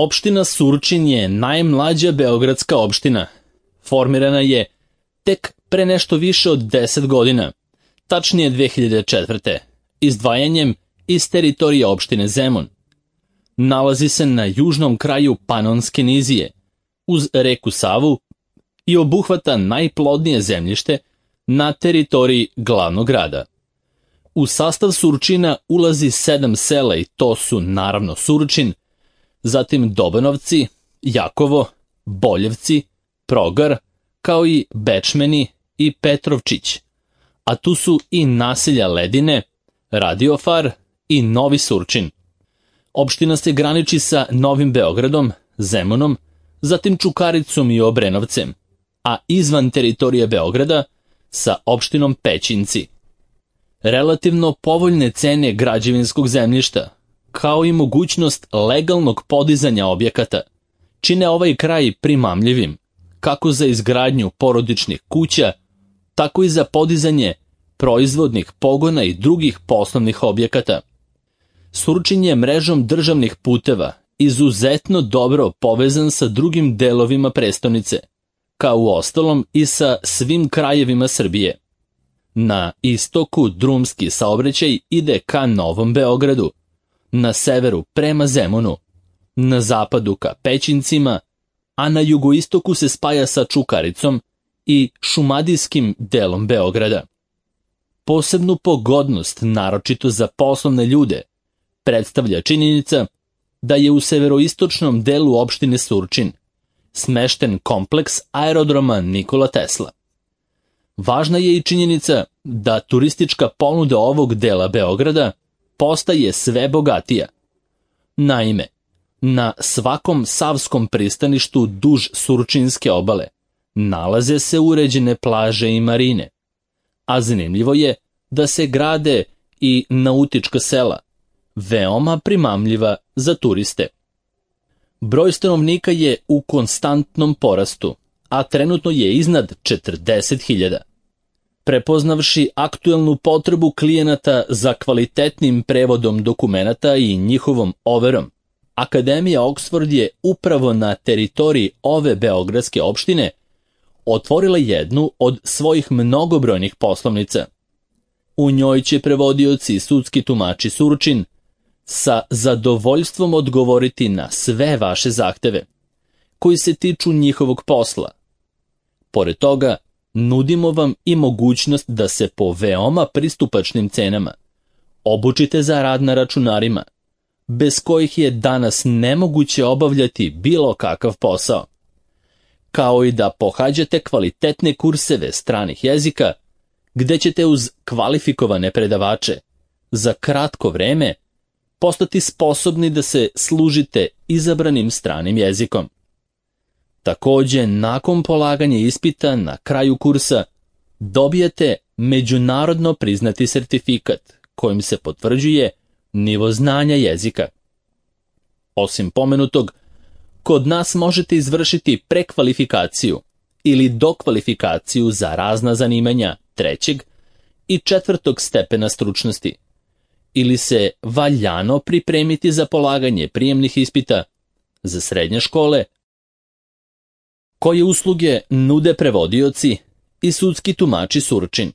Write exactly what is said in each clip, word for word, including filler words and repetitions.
Opština Surčin je najmlađa beogradska opština. Formirana je tek pre nešto više od deset godina, tačnije dve hiljade četvrte. izdvajanjem iz teritorije opštine Zemun. Nalazi se na južnom kraju Panonske nizije, uz reku Savu i obuhvata najplodnije zemljište na teritoriji glavnog grada. U sastav Surčina ulazi sedam sela i to su naravno Surčin, zatim Dobanovci, Jakovo, Boljevci, Progar, kao i Bečmeni i Petrovčić, a tu su i naselja Ledine, Radiofar i Novi Surčin. Opština se graniči sa Novim Beogradom, Zemunom, zatim Čukaricom i Obrenovcem, a izvan teritorije Beograda sa opštinom Pećinci. Relativno povoljne cene građevinskog zemljišta, kao i mogućnost legalnog podizanja objekata, čine ovaj kraj primamljivim, kako za izgradnju porodičnih kuća, tako i za podizanje proizvodnih pogona i drugih poslovnih objekata. Surčin je mrežom državnih puteva izuzetno dobro povezan sa drugim delovima prestonice, kao u ostalom i sa svim krajevima Srbije. Na istoku drumski saobraćaj ide ka Novom Beogradu, na severu prema Zemunu, na zapadu ka Pećincima, a na jugoistoku se spaja sa Čukaricom i šumadijskim delom Beograda. Posebnu pogodnost, naročito za poslovne ljude, predstavlja činjenica da je u severoistočnom delu opštine Surčin smešten kompleks aerodroma Nikola Tesla. Važna je i činjenica da turistička ponuda ovog dela Beograda postaje sve bogatija. Naime, na svakom savskom pristaništu duž Surčinske obale nalaze se uređene plaže i marine, a zanimljivo je da se grade i nautička sela, veoma primamljiva za turiste. Broj stanovnika je u konstantnom porastu, a trenutno je iznad četrdeset hiljada. Prepoznavši aktuelnu potrebu klijenata za kvalitetnim prevodom dokumenata i njihovom overom, Akademija Oxford je upravo na teritoriji ove beogradske opštine otvorila jednu od svojih mnogobrojnih poslovnica. U njoj će prevodioci i sudski tumači Surčin sa zadovoljstvom odgovoriti na sve vaše zahteve, koji se tiču njihovog posla. Pored toga, nudimo vam i mogućnost da se po veoma pristupačnim cenama obučite za rad na računarima, bez kojih je danas nemoguće obavljati bilo kakav posao, kao i da pohađate kvalitetne kurseve stranih jezika, gde ćete uz kvalifikovane predavače za kratko vreme postati sposobni da se služite izabranim stranim jezikom. Takođe, nakon polaganja ispita na kraju kursa dobijete međunarodno priznati sertifikat kojim se potvrđuje nivo znanja jezika. Osim pomenutog, kod nas možete izvršiti prekvalifikaciju ili dokvalifikaciju za razna zanimanja trećeg i četvrtog stepena stručnosti, ili se valjano pripremiti za polaganje prijemnih ispita za srednje škole, koje usluge nude prevodioci i sudski tumači Surčin.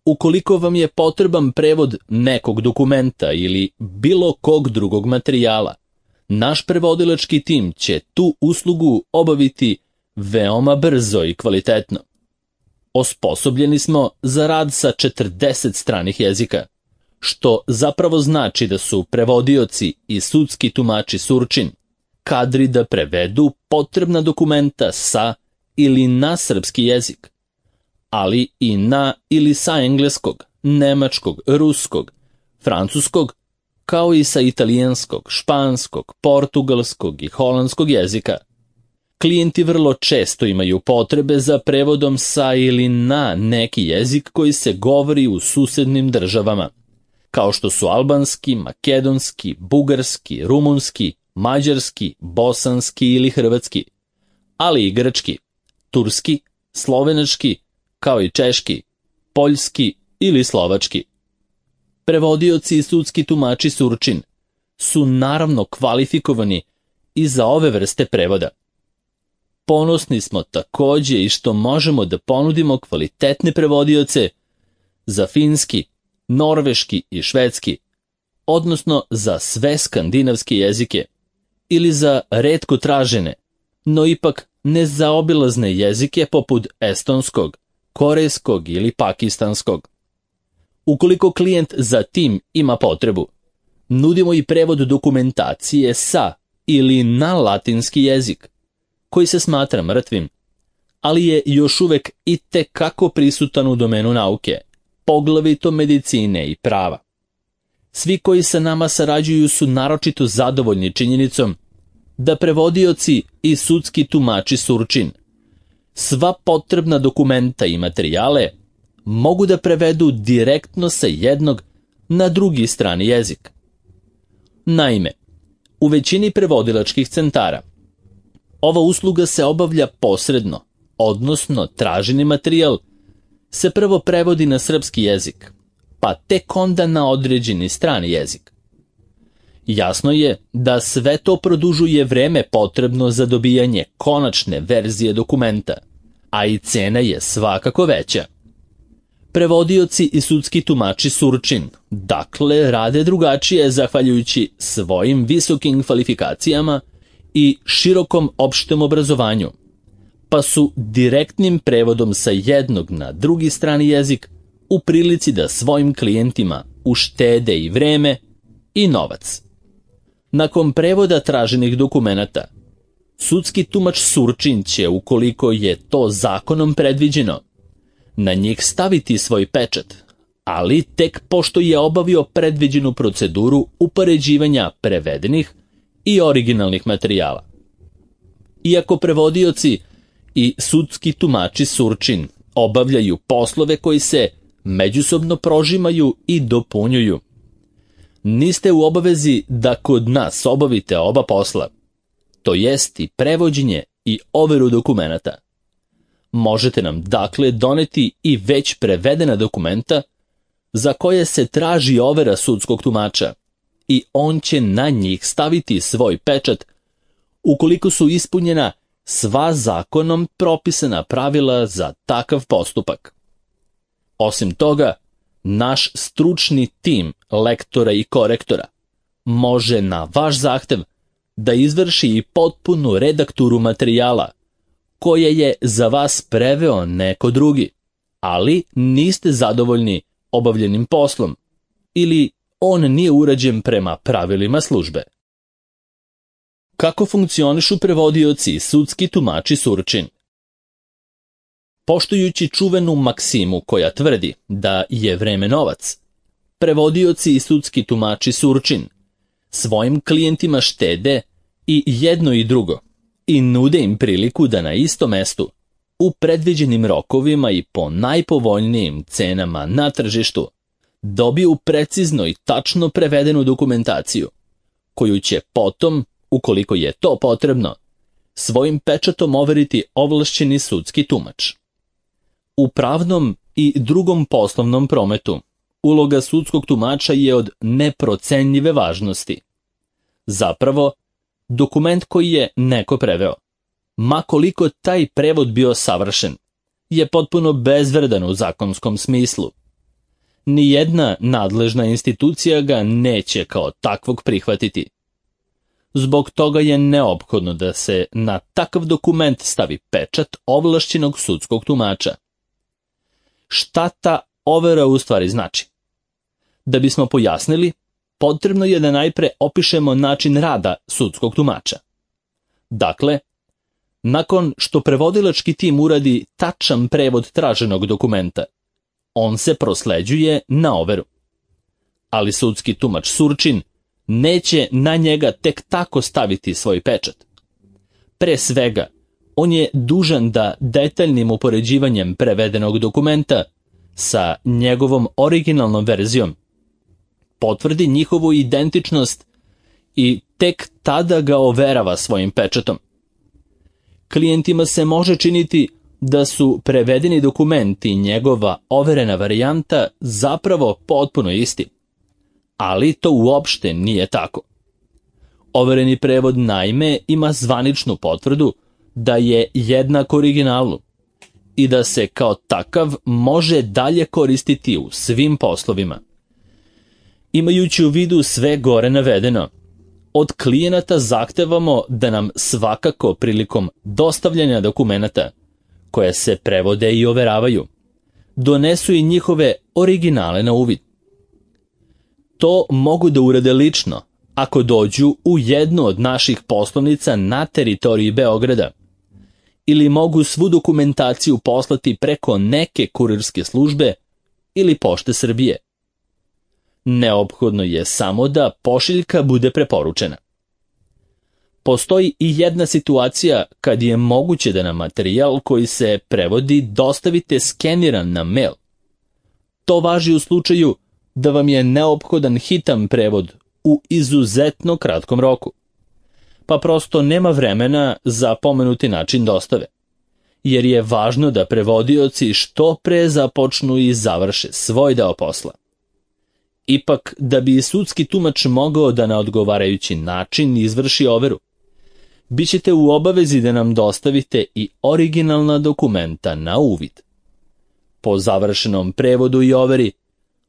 Ukoliko vam je potreban prevod nekog dokumenta ili bilo kog drugog materijala, naš prevodilački tim će tu uslugu obaviti veoma brzo i kvalitetno. Osposobljeni smo za rad sa četrdeset stranih jezika, što zapravo znači da su prevodioci i sudski tumači Surčin kadri da prevedu potrebna dokumenta sa ili na srpski jezik, ali i na ili sa engleskog, nemačkog, ruskog, francuskog, kao i sa italijanskog, španskog, portugalskog i holandskog jezika. Klijenti vrlo često imaju potrebe za prevodom sa ili na neki jezik koji se govori u susednim državama, kao što su albanski, makedonski, bugarski, rumunski, mađarski, bosanski ili hrvatski, ali i grčki, turski, slovenački, kao i češki, poljski ili slovački. Prevodioci i sudski tumači Surčin su naravno kvalifikovani i za ove vrste prevoda. Ponosni smo takođe i što možemo da ponudimo kvalitetne prevodioce za finski, norveški i švedski, odnosno za sve skandinavske jezike, ili za retko tražene, no ipak nezaobilazne jezike poput estonskog, korejskog ili pakistanskog. Ukoliko klijent za tim ima potrebu, nudimo i prevod dokumentacije sa ili na latinski jezik, koji se smatra mrtvim, ali je još uvek i tekako prisutan u domenu nauke, poglavito medicine i prava. Svi koji sa nama sarađuju su naročito zadovoljni činjenicom da prevodioci i sudski tumači Surčin sva potrebna dokumenta i materijale mogu da prevedu direktno sa jednog na drugi strani jezik. Naime, u većini prevodilačkih centara ova usluga se obavlja posredno, odnosno traženi materijal se prvo prevodi na srpski jezik, pa tek onda na određeni strani jezik. Jasno je da sve to produžuje vreme potrebno za dobijanje konačne verzije dokumenta, a i cena je svakako veća. Prevodioci i sudski tumači Surčin, dakle, rade drugačije zahvaljujući svojim visokim kvalifikacijama i širokom opštem obrazovanju, pa su direktnim prevodom sa jednog na drugi strani jezik u prilici da svojim klijentima uštede i vreme i novac. Nakon prevoda traženih dokumenata, sudski tumač Surčin će, ukoliko je to zakonom predviđeno, na njih staviti svoj pečat, ali tek pošto je obavio predviđenu proceduru upoređivanja prevedenih i originalnih materijala. Iako prevodioci i sudski tumači Surčin obavljaju poslove koji se međusobno prožimaju i dopunjuju, niste u obavezi da kod nas obavite oba posla, to jest i prevođenje i overu dokumenata. Možete nam dakle doneti i već prevedena dokumenta za koje se traži overa sudskog tumača i on će na njih staviti svoj pečat ukoliko su ispunjena sva zakonom propisana pravila za takav postupak. Osim toga, naš stručni tim lektora i korektora može na vaš zahtev da izvrši i potpunu redakturu materijala koje je za vas preveo neko drugi, ali niste zadovoljni obavljenim poslom ili on nije urađen prema pravilima službe. Kako funkcionišu prevodioci i sudski tumači Surčin? Poštujući čuvenu maksimu koja tvrdi da je vreme novac, prevodioci i sudski tumači Surčin svojim klijentima štede i jedno i drugo i nude im priliku da na istom mestu, u predviđenim rokovima i po najpovoljnijim cenama na tržištu, dobiju precizno i tačno prevedenu dokumentaciju, koju će potom, ukoliko je to potrebno, svojim pečatom overiti ovlašćeni sudski tumač. U pravnom i drugom poslovnom prometu uloga sudskog tumača je od neprocenljive važnosti. Zapravo, dokument koji je neko preveo, ma koliko taj prevod bio savršen, je potpuno bezvredan u zakonskom smislu. Nijedna nadležna institucija ga neće kao takvog prihvatiti. Zbog toga je neophodno da se na takav dokument stavi pečat ovlašćenog sudskog tumača. Šta ta overa u stvari znači? Da bismo pojasnili, potrebno je da najpre opišemo način rada sudskog tumača. Dakle, nakon što prevodilački tim uradi tačan prevod traženog dokumenta, on se prosleđuje na overu. Ali sudski tumač Surčin neće na njega tek tako staviti svoj pečat. Pre svega, on je dužan da detaljnim upoređivanjem prevedenog dokumenta sa njegovom originalnom verzijom potvrdi njihovu identičnost i tek tada ga overava svojim pečatom. Klijentima se može činiti da su prevedeni dokumenti i njegova overena varijanta zapravo potpuno isti, ali to uopšte nije tako. Overeni prevod naime ima zvaničnu potvrdu da je jednak originalu i da se kao takav može dalje koristiti u svim poslovima. Imajući u vidu sve gore navedeno, od klijenata zahtevamo da nam svakako prilikom dostavljanja dokumenata, koje se prevode i overavaju, donesu i njihove originale na uvid. To mogu da urade lično, ako dođu u jednu od naših poslovnica na teritoriji Beograda, ili mogu svu dokumentaciju poslati preko neke kurirske službe ili Pošte Srbije. Neophodno je samo da pošiljka bude preporučena. Postoji i jedna situacija kad je moguće da nam materijal koji se prevodi dostavite skeniran na mail. To važi u slučaju da vam je neophodan hitan prevod u izuzetno kratkom roku, pa prosto nema vremena za pomenuti način dostave, jer je važno da prevodioci što pre započnu i završe svoj deo posla. Ipak, da bi sudski tumač mogao da na odgovarajući način izvrši overu, bićete u obavezi da nam dostavite i originalna dokumenta na uvid. Po završenom prevodu i overi,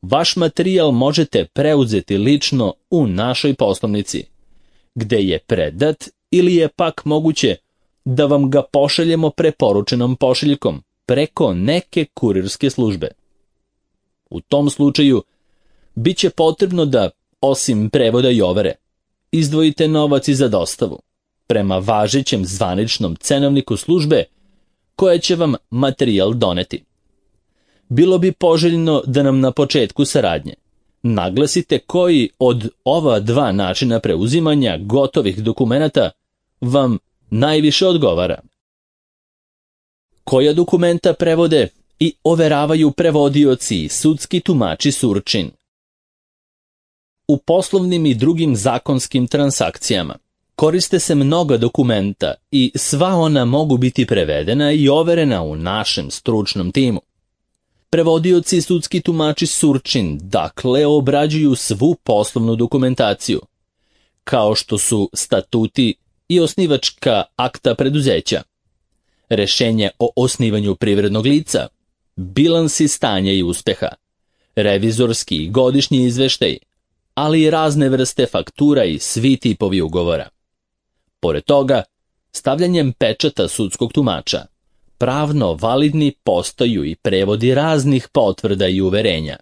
vaš materijal možete preuzeti lično u našoj poslovnici, gde je predat ili je pak moguće da vam ga pošaljemo preporučenom pošiljkom preko neke kurirske službe. U tom slučaju, bit će potrebno da, osim prevoda i overe, izdvojite novac i za dostavu, prema važećem zvaničnom cenovniku službe koja će vam materijal doneti. Bilo bi poželjno da nam na početku saradnje naglasite koji od ova dva načina preuzimanja gotovih dokumenata vam najviše odgovara. Koja dokumenta prevode i overavaju prevodioci i sudski tumači Surčin? U poslovnim i drugim zakonskim transakcijama koriste se mnoga dokumenta i sva ona mogu biti prevedena i overena u našem stručnom timu. Prevodioci i sudski tumači Surčin dakle obrađuju svu poslovnu dokumentaciju, kao što su statuti i osnivačka akta preduzeća, rešenje o osnivanju privrednog lica, bilansi stanja i uspeha, revizorski i godišnji izveštaj, ali i razne vrste faktura i svi tipovi ugovora. Pored toga, stavljanjem pečata sudskog tumača, pravno validni postaju i prevodi raznih potvrda i uverenja,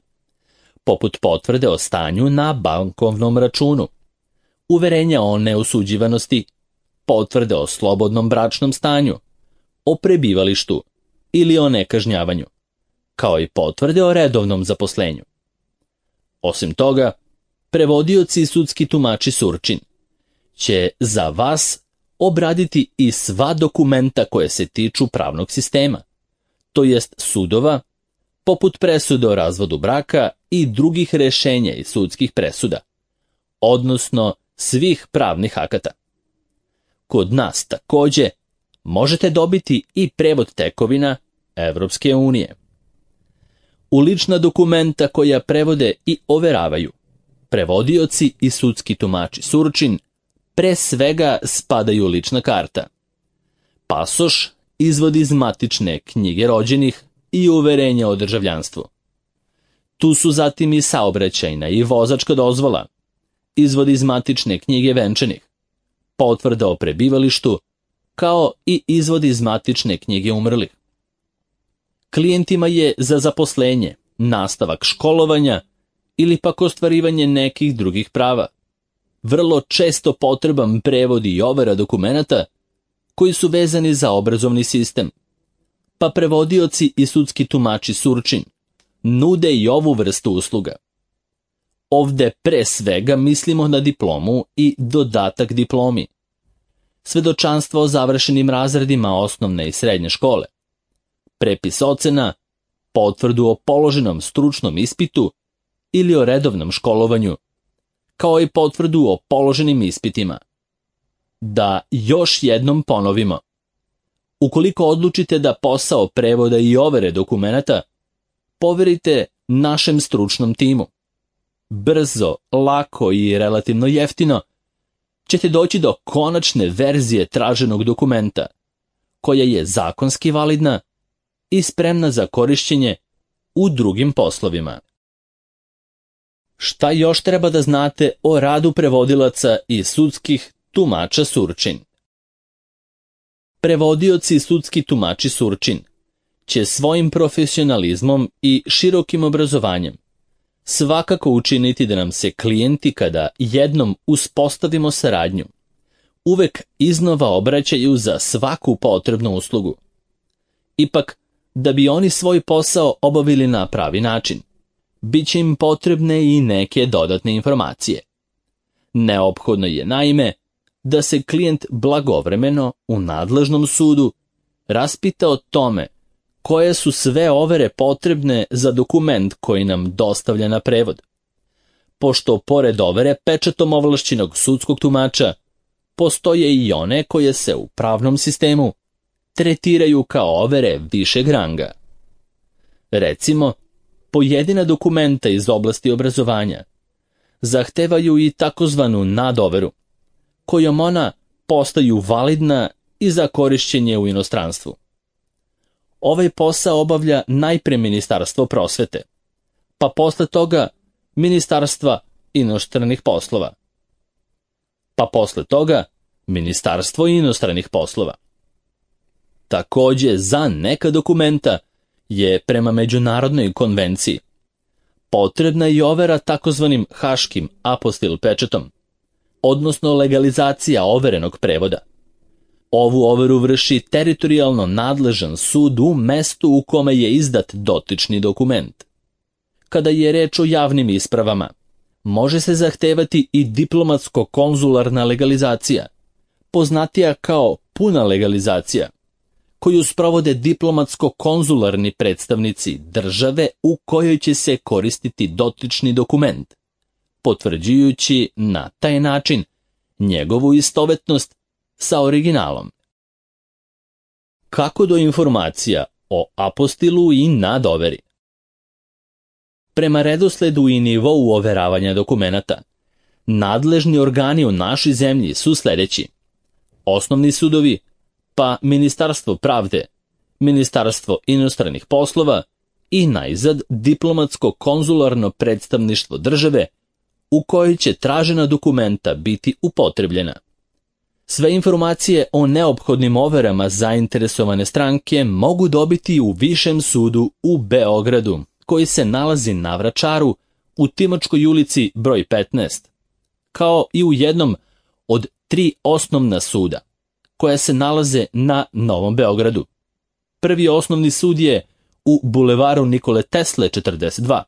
poput potvrde o stanju na bankovnom računu, uverenja o neosuđivanosti, potvrde o slobodnom bračnom stanju, o prebivalištu ili o nekažnjavanju, kao i potvrde o redovnom zaposlenju. Osim toga, prevodioci i sudski tumači Surčin će za vas obraditi i sva dokumenta koje se tiču pravnog sistema, to jest sudova, poput presude o razvodu braka i drugih rešenja i sudskih presuda, odnosno svih pravnih akata. Kod nas takođe možete dobiti i prevod tekovina Evropske unije. U lična dokumenta koja prevode i overavaju, prevodioci i sudski tumači Surčin pre svega spadaju lična karta, pasoš, izvod iz matične knjige rođenih i uverenja o državljanstvu. Tu su zatim i saobraćajna i vozačka dozvola, izvod iz matične knjige venčanih, potvrda o prebivalištu, kao i izvod iz matične knjige umrlih. Klijentima je za zaposlenje, nastavak školovanja ili pak ostvarivanje nekih drugih prava vrlo često potreban prevod i overa dokumenata koji su vezani za obrazovni sistem, pa prevodioci i sudski tumači Surčin nude i ovu vrstu usluga. Ovde pre svega mislimo na diplomu i dodatak diplomi, svedočanstvo o završenim razredima osnovne i srednje škole, prepis ocena, potvrdu o položenom stručnom ispitu ili o redovnom školovanju, kao i potvrdu o položenim ispitima. Da još jednom ponovimo, ukoliko odlučite da posao prevoda i overe dokumenata poverite našem stručnom timu, brzo, lako i relativno jeftino, ćete doći do konačne verzije traženog dokumenta, koja je zakonski validna i spremna za korišćenje u drugim poslovima. Šta još treba da znate o radu prevodilaca i sudskih tumača Surčin? Prevodioci i sudski tumači Surčin će svojim profesionalizmom i širokim obrazovanjem svakako učiniti da nam se klijenti, kada jednom uspostavimo saradnju, uvek iznova obraćaju za svaku potrebnu uslugu. Ipak, da bi oni svoj posao obavili na pravi način, bit će im potrebne i neke dodatne informacije. Neophodno je, naime, da se klijent blagovremeno u nadležnom sudu raspita o tome koje su sve overe potrebne za dokument koji nam dostavlja na prevod, pošto pored overe pečatom ovlašćenog sudskog tumača postoje i one koje se u pravnom sistemu tretiraju kao overe višeg ranga. Recimo, pojedina dokumenta iz oblasti obrazovanja zahtevaju i takozvanu nadoveru, kojom ona postaju validna i za korišćenje u inostranstvu. Ovaj posao obavlja najpre Ministarstvo prosvete, pa posle toga Ministarstva inostranih poslova, pa posle toga Ministarstvo inostranih poslova. Takođe, za neka dokumenta je prema međunarodnoj konvenciji potrebna i overa takozvanim haškim apostil pečatom, odnosno legalizacija overenog prevoda. Ovu overu vrši teritorijalno nadležan sud u mestu u kome je izdat dotični dokument. Kada je reč o javnim ispravama, može se zahtevati i diplomatsko-konzularna legalizacija, poznatija kao puna legalizacija, koju sprovode diplomatsko-konzularni predstavnici države u kojoj će se koristiti dotični dokument, potvrđujući na taj način njegovu istovetnost sa originalom. Kako do informacija o apostilu i nadoveri? Prema redosledu i nivou overavanja dokumenata, nadležni organi u našoj zemlji su sljedeći: osnovni sudovi, pa Ministarstvo pravde, Ministarstvo inostranih poslova i najzad diplomatsko-konzularno predstavništvo države u kojoj će tražena dokumenta biti upotrebljena. Sve informacije o neophodnim overama zainteresovane stranke mogu dobiti u Višem sudu u Beogradu, koji se nalazi na Vračaru u Timočkoj ulici broj petnaest, kao i u jednom od tri osnovna suda, koja se nalaze na Novom Beogradu. Prvi osnovni sud je u bulevaru Nikole Tesle četrdeset dva,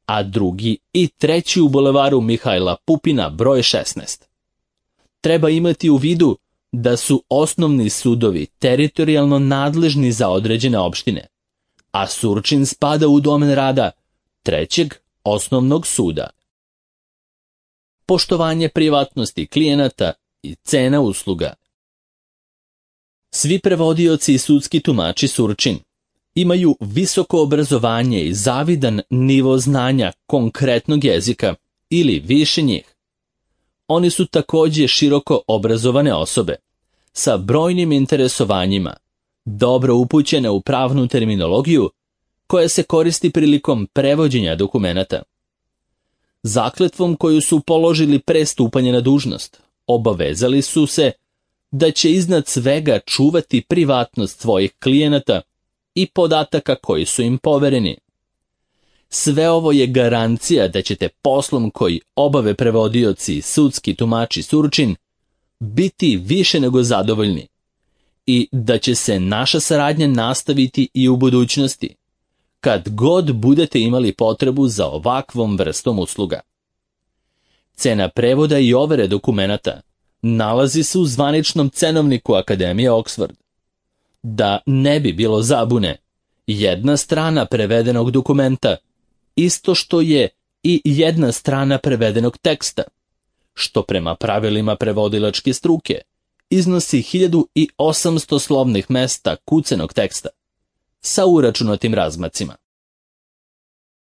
a drugi i treći u bulevaru Mihajla Pupina broj šesnaest. Treba imati u vidu da su osnovni sudovi teritorijalno nadležni za određene opštine, a Surčin spada u domen rada trećeg osnovnog suda. Poštovanje privatnosti klijenata i cena usluga. Svi prevodioci i sudski tumači Surčin imaju visoko obrazovanje i zavidan nivo znanja konkretnog jezika ili više njih. Oni su također široko obrazovane osobe, sa brojnim interesovanjima, dobro upućene u pravnu terminologiju koja se koristi prilikom prevođenja dokumenata. Zakletvom koju su položili pre stupanja na dužnost, obavezali su se da će iznad svega čuvati privatnost svojih klijenata i podataka koji su im povereni. Sve ovo je garancija da ćete poslom koji obave prevodioci i sudski tumači Surčin biti više nego zadovoljni i da će se naša saradnja nastaviti i u budućnosti, kad god budete imali potrebu za ovakvom vrstom usluga. Cena prevoda i overe dokumenata nalazi se u zvaničnom cenovniku Akademije Oxford. Da ne bi bilo zabune, jedna strana prevedenog dokumenta isto što je i jedna strana prevedenog teksta, što prema pravilima prevodilačke struke iznosi hiljadu osamsto slovnih mesta kucanog teksta sa uračunatim razmacima.